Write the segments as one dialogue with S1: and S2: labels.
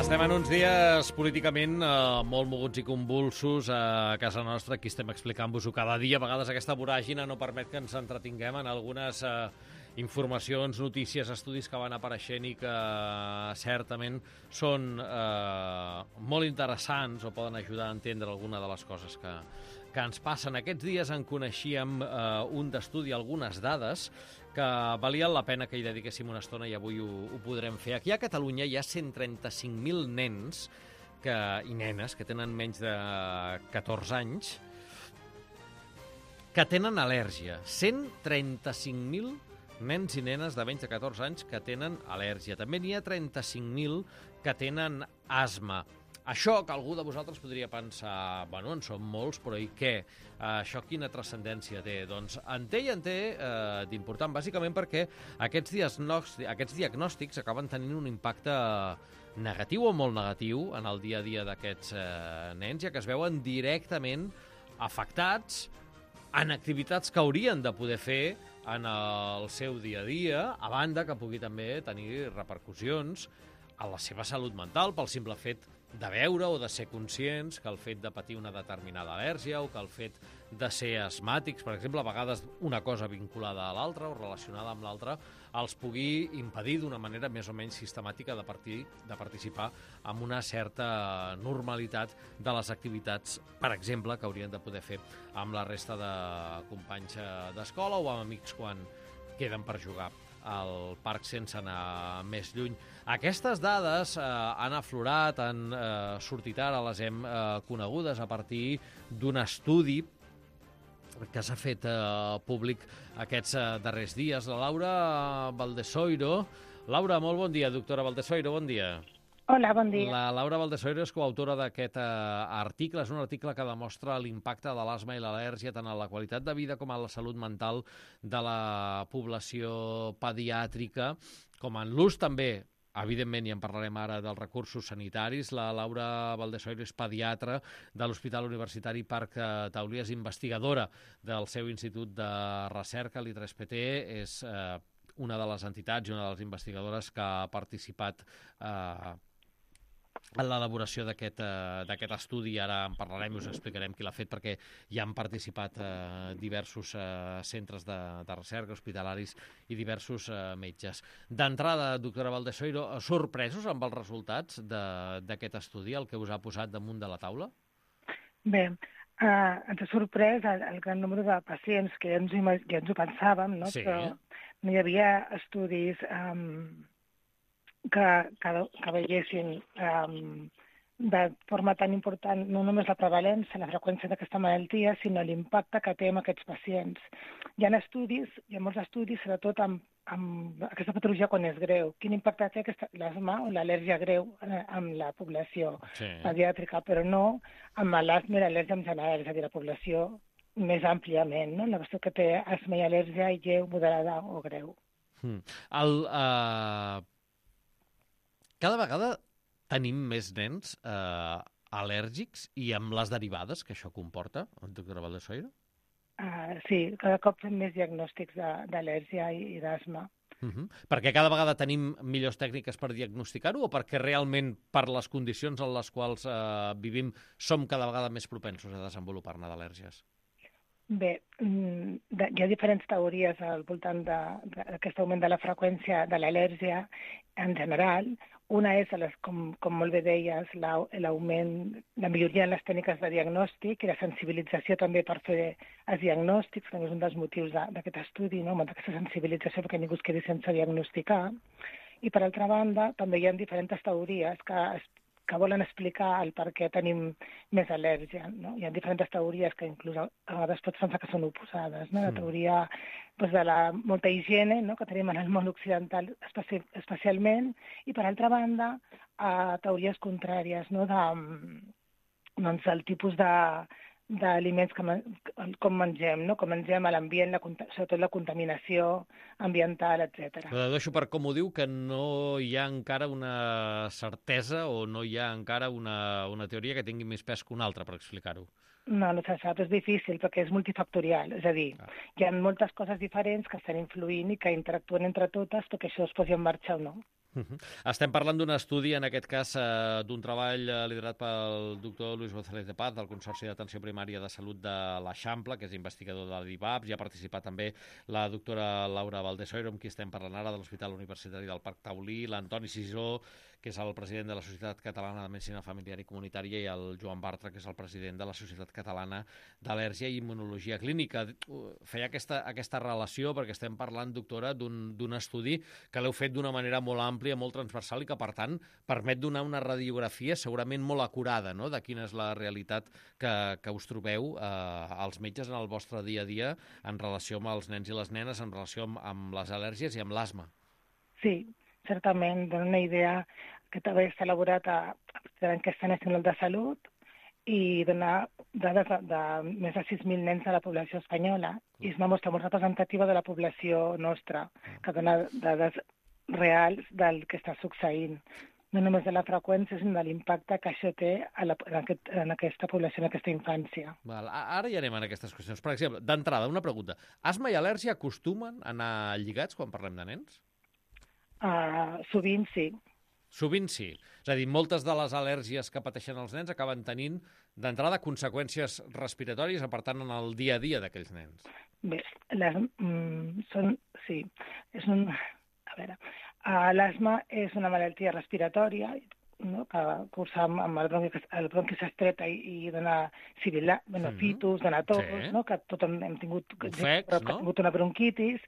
S1: Estem en uns dies políticament molt moguts i convulsos a casa nostra. Aquí estem explicant-vos-ho cada dia. A vegades aquesta voràgina no permet que ens entretinguem en algunes informacions, notícies, estudis que van apareixent i que certament són molt interessants o poden ajudar a entendre alguna de les coses que ens passen. Aquests dies en coneixíem un d'estudi, algunes dades que valien la pena que hi dediquéssim una estona i avui ho podrem fer. Aquí a Catalunya hi ha 135.000 nens i nenes que tenen menys de 14 anys que tenen al·lèrgia. 135.000 nens i nenes de menys de 14 anys que tenen al·lèrgia. També n'hi ha 35.000 que tenen asma. Això que algú de vosaltres podria pensar, bueno, en són molts, però i què? Això quina transcendència té? Doncs en té d'important, bàsicament perquè aquests diagnòstics acaben tenint un impacte negatiu o molt negatiu en el dia a dia d'aquests nens, ja que es veuen directament afectats en activitats que haurien de poder fer en el seu dia a dia, a banda que pugui també tenir repercussions a la seva salut mental pel simple fet de veure o de ser conscients que el fet de patir una determinada al·lèrgia o que el fet de ser asmàtics, per exemple, a vegades una cosa vinculada a l'altra o relacionada amb l'altra, els pugui impedir d'una manera més o menys sistemàtica de participar amb una certa normalitat de les activitats, per exemple, que haurien de poder fer amb la resta de companys d'escola o amb amics quan queden per jugar al parc sense anar més lluny. Aquestes dades han aflorat, han sortit ara, les hem conegudes a partir d'un estudi que s'ha fet públic aquests darrers dies. La Laura Valdesoiro. Laura, molt bon dia. Doctora Valdesoiro, bon dia.
S2: Hola, bon dia.
S1: La Laura Valdesoiro és coautora d'aquest article. És un article que demostra l'impacte de l'asma i l'al·lèrgia tant a la qualitat de vida com a la salut mental de la població pediàtrica, com en l'ús també, evidentment, i en parlarem ara, dels recursos sanitaris. La Laura Valdesoiro és pediatra de l'Hospital Universitari Parc Taulí, és investigadora del seu Institut de Recerca, l'I3PT, és una de les entitats i una de les investigadores que ha participat en l'elaboració d'aquest estudi. Ara en parlarem i us explicarem qui l'ha fet, perquè hi han participat diversos centres de recerca, hospitalaris i diversos metges. D'entrada, doctora Valdesoiro, sorpresos amb els resultats d'aquest estudi, el que us ha posat damunt de la taula?
S2: Bé, ens ha sorprès el gran nombre de pacients que ja ens ho pensàvem, no?
S1: Sí.
S2: Però no hi havia estudis que veiessin de forma tan important no només la prevalència, la freqüència d'aquesta malaltia, sinó l'impacte que té en aquests pacients. Hi ha molts estudis, sobretot amb aquesta patologia quan és greu. Quin impacte té l'asma o l'al·lèrgia greu amb la població pediàtrica, però no amb l'asma i l'al·lèrgia en general, és a dir, la població més àmpliament, no? La qüestió que té asma i al·lèrgia lleu, moderada o greu.
S1: Cada vegada tenim més nens al·lèrgics i amb les derivades que això comporta, doctora Valdesoiro?
S2: Sí, cada cop fem més diagnòstics d'al·lèrgia i d'asma.
S1: Perquè cada vegada tenim millors tècniques per diagnosticar-ho o perquè realment per les condicions en les quals vivim som cada vegada més propensos a desenvolupar-ne d'al·lèrgies?
S2: Bé, hi ha diferents teories al voltant d'aquest augment de la freqüència de l'al·lèrgia en general. Una és, com molt bé deies, l'augment, la milloria en les tècniques de diagnòstic i la sensibilització també per fer els diagnòstics, també és un dels motius d'aquest estudi, no? Aquesta sensibilització perquè ningú es quedi sense diagnosticar. I per altra banda, també hi ha diferents teories que volen explicar el per què tenim més al·lèrgia, no? Hi ha diferents teories que inclús a vegades pots pensar que són oposades, no? La teoria de la molta higiene, no? Que tenim en el món occidental especialment, i per altra banda teories contràries, no? Del tipus d'aliments com mengem, no? Com mengem a l'ambient, sobretot la contaminació ambiental, etc.
S1: Però deixo per com ho diu que no hi ha encara una certesa o no hi ha encara una teoria que tingui més pes que una altra, per explicar-ho.
S2: No se sap, és difícil perquè és multifactorial, és a dir, hi ha moltes coses diferents que estan influint i que interactuen entre totes perquè això es posi en marxa o no.
S1: Estem parlant d'un estudi, en aquest cas, d'un treball liderat pel doctor Luis González de Paz, del Consorci d'Atenció Primària de Salut de l'Eixample, que és investigador de l'IVAPS. Hi ha participat també la doctora Laura Valdesoiro, amb qui estem parlant ara, de l'Hospital Universitari del Parc Taulí, l'Antoni Sisó, que és el president de la Societat Catalana de Medicina Familiar i Comunitària, i el Joan Bartra, que és el president de la Societat Catalana d'Al·lèrgia i Immunologia Clínica. Feia aquesta relació perquè estem parlant, doctora, d'un estudi que l'heu fet d'una manera molt àmplia, molt transversal, i que, per tant, permet donar una radiografia segurament molt acurada, no?, de quina és la realitat que us trobeu als metges en el vostre dia a dia en relació amb els nens i les nenes, en relació amb les al·lèrgies i amb l'asma.
S2: Sí, certament, dona una idea que també està elaborat a l'enquesta nacional de salut i donar dades de més de 6.000 nens de la població espanyola. I és una mostra molt representativa de la població nostra, que dona dades reals del que està succeint. No només de la freqüència, sinó de l'impacte que això té en aquesta població, en aquesta infància.
S1: Val. Ara ja anem a aquestes qüestions. Per exemple, d'entrada, una pregunta. Asma i al·lèrgia acostumen a anar lligats quan parlem de nens?
S2: Sovint sí.
S1: Sovint sí. És a dir, moltes de les al·lèrgies que pateixen els nens acaben tenint, d'entrada, conseqüències respiratòries, per tant, en el dia a dia d'aquells nens.
S2: Bé, sí. L'asma és una malaltia respiratòria, no?, que cursa amb el bronqui s'estreta i dona fitus, dona tos, sí, no?, que tothom hem tingut,
S1: ofecs, no?,
S2: tingut una bronquitis,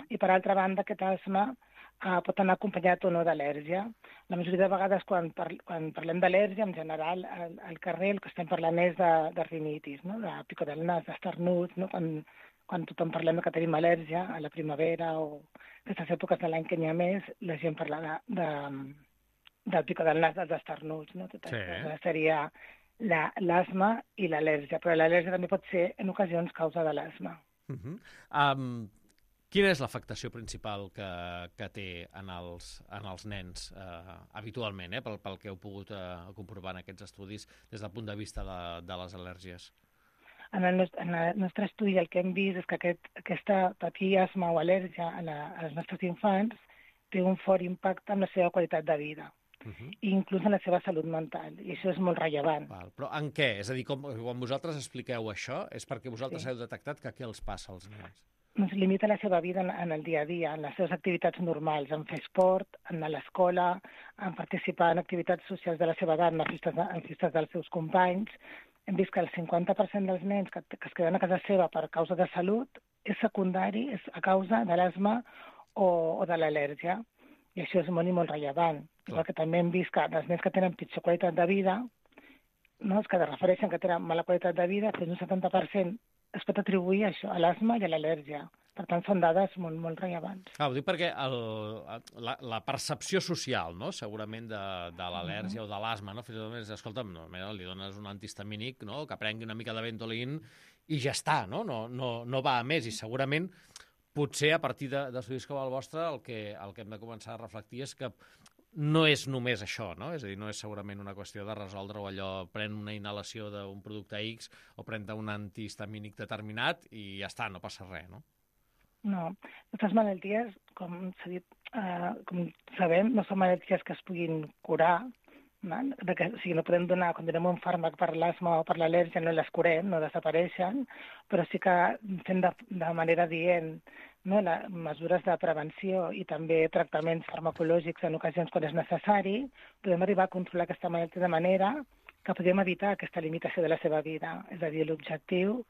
S2: i per altra banda aquest asma pot anar acompanyat o no d'al·lèrgia. La majoria de vegades quan parlem d'al·lèrgia, en general, al carrer el que estem parlant és de rinitis, no?, de picor del nas, d'esternuts, no?, quan tothom parlem que tenim al·lèrgia a la primavera o aquestes èpoques de l'any que n'hi ha més, la gent parla del picor del nas, dels esternuts, no? Tot això seria l'asma i l'al·lèrgia, però l'al·lèrgia també pot ser, en ocasions, causa de l'asma.
S1: Quina és l'afectació principal que té en els nens habitualment, pel que heu pogut comprovar en aquests estudis des del punt de vista de les al·lèrgies?
S2: En el nostre estudi el que hem vist és que aquesta patir asma o al·lèrgia als nostres infants té un fort impacte en la seva qualitat de vida, i inclús en la seva salut mental, i això és molt rellevant.
S1: Però en què? És a dir, quan vosaltres expliqueu això, és perquè vosaltres heu detectat que què els passa als nens?
S2: Doncs limita la seva vida en el dia a dia, en les seves activitats normals, en fer esport, en anar a l'escola, en participar en activitats socials de la seva edat, en festes dels seus companys. Hem vist que el 50% dels nens que es queden a casa seva per causa de salut és secundari, és a causa de l'asma o de l'al·lèrgia. I això és molt i molt rellevant. Igual que també hem vist que dels nens que tenen pitjor qualitat de vida, no, els que refereixen que tenen mala qualitat de vida, fins un 70% es pot atribuir a això, a l'asma i a l'al·lèrgia. Per tant, són dades molt, molt rellevants.
S1: Ho dic perquè la percepció social, no?, segurament de l'al·lèrgia o de l'asma, no?, fins i tot és, escolta'm, li dones un antihistamínic, no?, que prengui una mica de Ventolin i ja està, no va a més. I segurament, potser a partir d'estudis com el vostre, el que hem de començar a reflectir és que no és només això, no? És a dir, no és segurament una qüestió de resoldre o allò, pren una inhalació d'un producte X o pren un antihistamínic determinat i ja està, no passa res, no?
S2: No, aquestes malalties, com s'ha dit, com sabem, no són malalties que es puguin curar, o sigui, no podem donar, quan donem un fàrmac per l'asma o per l'al·lèrgia, no les curem, no desapareixen, però sí que fent de manera dient, no, mesures de prevenció i també tractaments farmacològics en ocasions quan és necessari, podem arribar a controlar aquesta malaltia de manera que podem evitar aquesta limitació de la seva vida. És a dir, l'objectiu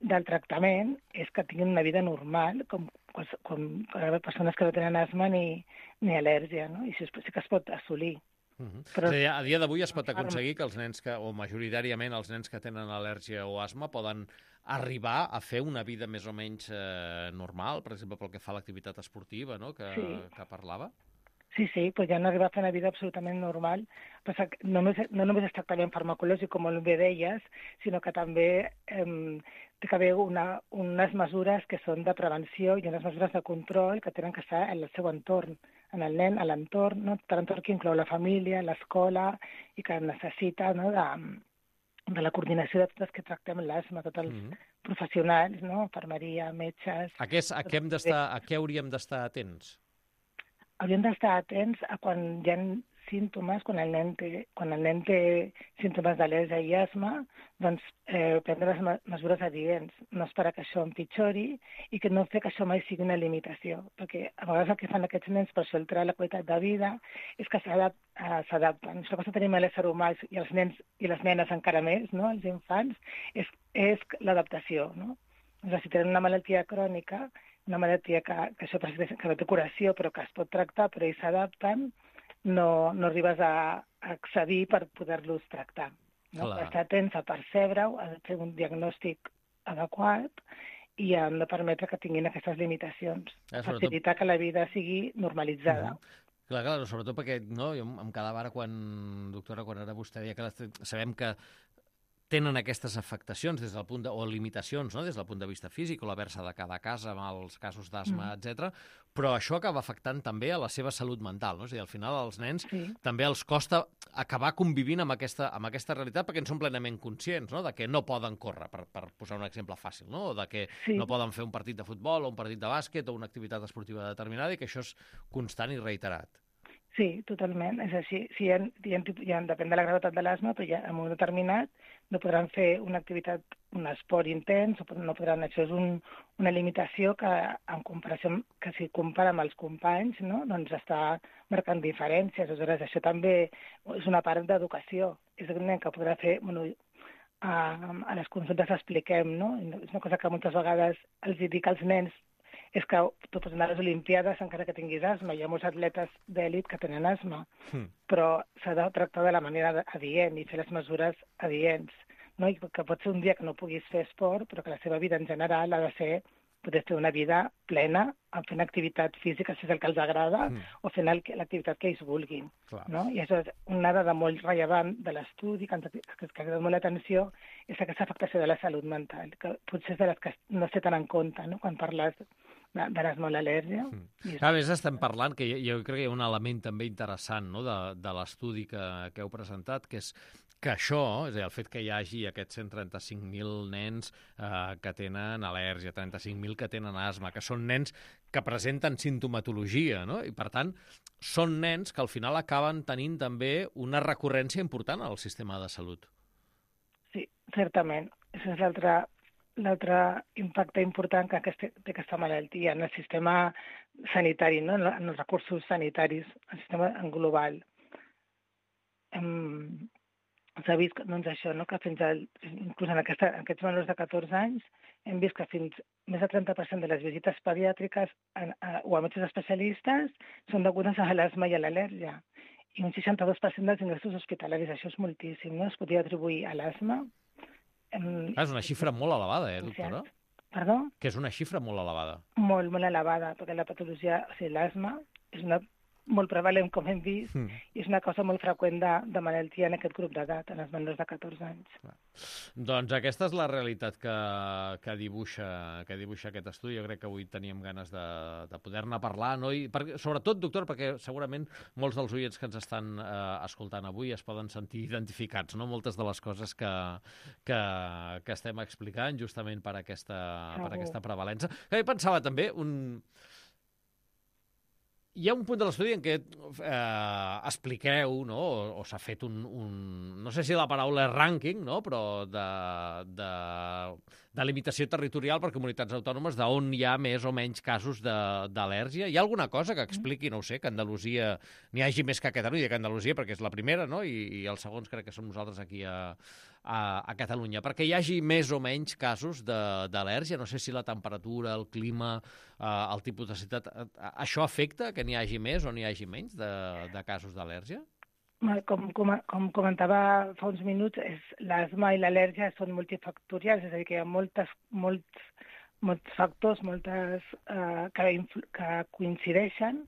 S2: del tractament és que tinguin una vida normal, com persones que no tenen asma ni al·lèrgia, no? I això sí que es pot assolir.
S1: Però a dia d'avui es pot aconseguir que els nens o majoritàriament els nens que tenen al·lèrgia o asma poden arribar a fer una vida més o menys normal, per exemple, pel que fa a l'activitat esportiva, no?, que parlava?
S2: Sí, podien arribar a fer una vida absolutament normal. No només és tractament farmacològic, com molt bé deies, sinó que també té que haver unes mesures que són de prevenció i unes mesures de control que tenen que estar en el seu entorn, en el nen, a l'entorn, no? L'entorn que inclou la família, l'escola, i que necessita, no, de la coordinació de tots els que tractem l'asma, tots els professionals, no? Infermeria, metges...
S1: A què hauríem d'estar atents?
S2: hauríem d'estar atents a quan hi ha símptomes, quan el nen té símptomes d'al·lèrgia i asma, doncs prendre les mesures adients, no esperar que això empitjori i que no fer que això mai sigui una limitació, perquè a vegades el que fan aquests nens per això alterar la qualitat de vida és que s'adapten. Això que tenim a l'ésser humà i els nens i les nenes encara més, no? Els infants, és l'adaptació, no? Doncs si tenen una malaltia crònica, una malaltia que això que no té curació però que es pot tractar, però ells s'adapten, no arribes a accedir per poder-los tractar. No? Estar atents a percebre-ho, a fer un diagnòstic adequat i hem de permetre que tinguin aquestes limitacions. Facilitar que la vida sigui normalitzada.
S1: Clar, sobretot perquè jo em quedava ara doctora, quan ara vostè deia que sabem que tenen aquestes afectacions des del punt o limitacions, no? Des del punt de vista físic o l'haver-se de quedar a casa amb els casos d'asma, etc. Però això acaba afectant també a la seva salut mental, no? És a dir, al final als nens també els costa acabar convivint amb aquesta realitat perquè en són plenament conscients, no? De que no poden córrer, per posar un exemple fàcil, no? O de que no poden fer un partit de futbol o un partit de bàsquet o una activitat esportiva determinada i que això és constant i reiterat.
S2: Sí, totalment. És així. Depèn de la gravetat de l'asma, però ja en un determinat no podran fer una activitat, un esport intens, no podran. Això és una limitació que, en comparació, que si compara amb els companys, no? Doncs està marcant diferències. Aleshores, això també és una part d'educació. És un nen que podrà fer... a les consultes expliquem, no? És una cosa que moltes vegades els dic als nens, és que tu pots anar a les Olimpiades encara que tinguis asma. Hi ha molts atletes d'èlit que tenen asma, però s'ha de tractar de la manera adient i fer les mesures adients. No? I que pot ser un dia que no puguis fer esport, però que la seva vida en general ha de ser poder fer una vida plena, fent activitat física, si és el que els agrada, o fent l'activitat que ells vulguin. No? I això és una dada molt rellevant de l'estudi, que ens ha cridat molt l'atenció, és aquesta afectació de la salut mental, que potser és de les que no es té tan en compte, no? Quan parles de l'asma o l'al·lèrgia.
S1: A més, estem parlant, que jo crec que hi ha un element també interessant, no? de l'estudi que heu presentat, que és que això, és a dir, el fet que hi hagi aquests 135.000 nens que tenen al·lèrgia, 35.000 que tenen asma, que són nens que presenten simptomatologia, no? I, per tant, són nens que al final acaben tenint també una recurrència important al sistema de salut.
S2: Sí, certament. Això és l'altre impacte important que té aquesta malaltia en el sistema sanitari, no? En els recursos sanitaris, el sistema en global. S'ha vist doncs, això, no? Que inclús en aquests menors de 14 anys hem vist que fins més del 30% de les visites pediàtriques o a metges especialistes són degudes a l'asma i a l'al·lèrgia. I un 62% dels ingressos hospitalaris. Això és moltíssim, no? Es podria atribuir a l'asma.
S1: És una xifra molt elevada, doctora?
S2: Perdó?
S1: Que és una xifra molt elevada.
S2: Molt, molt elevada, perquè la patologia, o sigui, l'asma és una molt prevalent, com hem vist, i és una cosa molt freqüent de malaltia en aquest grup d'edat, en els menors de 14 anys.
S1: Doncs aquesta és la realitat que dibuixa aquest estudi. Jo crec que avui teníem ganes de poder-ne parlar, no? I sobretot, doctor, perquè segurament molts dels oients que ens estan escoltant avui es poden sentir identificats, no? Moltes de les coses que estem explicant justament per aquesta prevalença. Jo pensava també hi ha un punt de l'estudi en què expliqueu, no? O s'ha fet no sé si la paraula és rànquing, no? Però de limitació territorial per comunitats autònomes d'on hi ha més o menys casos d'al·lèrgia. Hi ha alguna cosa que expliqui, no ho sé, que a Andalusia n'hi hagi més que a Catalunya, que a Andalusia perquè és la primera, no? I els segons crec que som nosaltres aquí a Catalunya, perquè hi hagi més o menys casos d'al·lèrgia, no sé si la temperatura, el clima, el tipus de ciutat, això afecta que n'hi hagi més o n'hi hagi menys de casos d'al·lèrgia?
S2: Com comentava fa uns minuts, l'asma i l'al·lèrgia són multifactorials, és a dir, que hi ha molts factors que coincideixen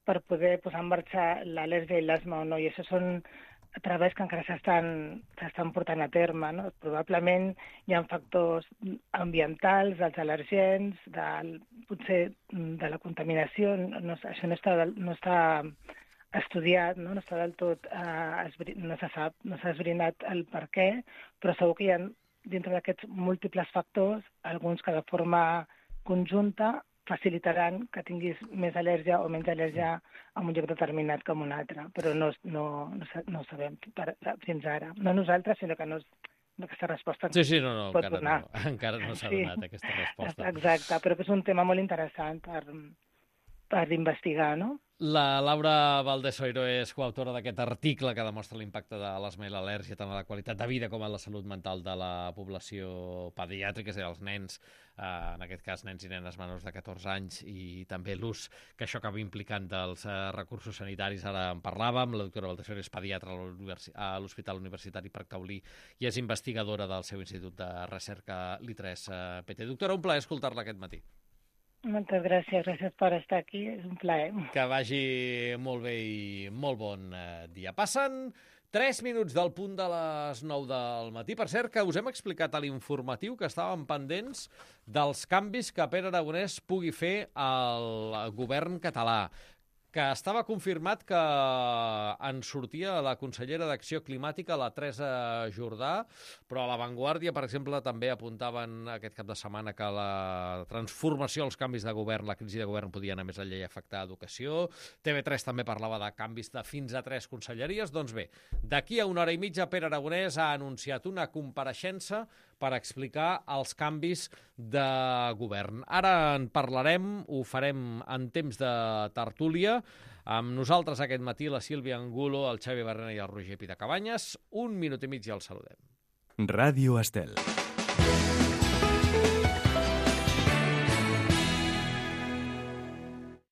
S2: per poder posar en marxa l'al·lèrgia i l'asma o no, i això són treballs que encara s'estan portant a terme, no? Probablement hi ha factors ambientals, dels al·lèrgens, potser de la contaminació, això no està estudiat, no està del tot, no s'ha esbrinat el per què, però segur que hi ha dintre d'aquests múltiples factors, alguns que de forma conjunta facilitaran que tinguis més al·lèrgia o menys al·lèrgia en un lloc determinat com un altre, però no ho sabem fins ara. No nosaltres, sinó que aquesta resposta pot donar.
S1: Encara no s'ha donat aquesta resposta.
S2: Exacte, però que és un tema molt interessant per investigar, no?
S1: La Laura Valdés-Oiro és coautora d'aquest article que demostra l'impacte de l'asma i l'al·lèrgia tant a la qualitat de vida com a la salut mental de la població pediàtrica, és a dir, els nens, en aquest cas nens i nenes menors de 14 anys, i també l'ús que això acaba implicant dels recursos sanitaris. Ara en parlàvem, la doctora Valdés-Oiro és pediatra a l'Hospital Universitari Parc Taulí i és investigadora del seu Institut de Recerca l'I3PT. Doctora, un plaer escoltar-la aquest matí.
S2: Moltes gràcies per estar aquí, és un plaer.
S1: Que vagi molt bé i molt bon dia. Passen 3 minuts del punt de les 9 del matí. Per cert, que us hem explicat a l'informatiu que estàvem pendents dels canvis que Pere Aragonès pugui fer al govern català, que estava confirmat que en sortia la consellera d'Acció Climàtica, la Teresa Jordà, però a La Vanguardia, per exemple, també apuntaven aquest cap de setmana que la transformació, els canvis de govern, la crisi de govern podia anar més enllà i afectar educació. TV3 també parlava de canvis de fins a 3 conselleries. Doncs bé, d'aquí a 1 hora i mitja, Pere Aragonès ha anunciat una compareixença per explicar els canvis de govern. Ara en parlarem, ho farem en temps de tertúlia. Amb nosaltres aquest matí la Sílvia Angulo, el Xavi Barrena i el Roger Pidacabanyes. 1 minut i mig i els saludem.
S3: Ràdio Estel.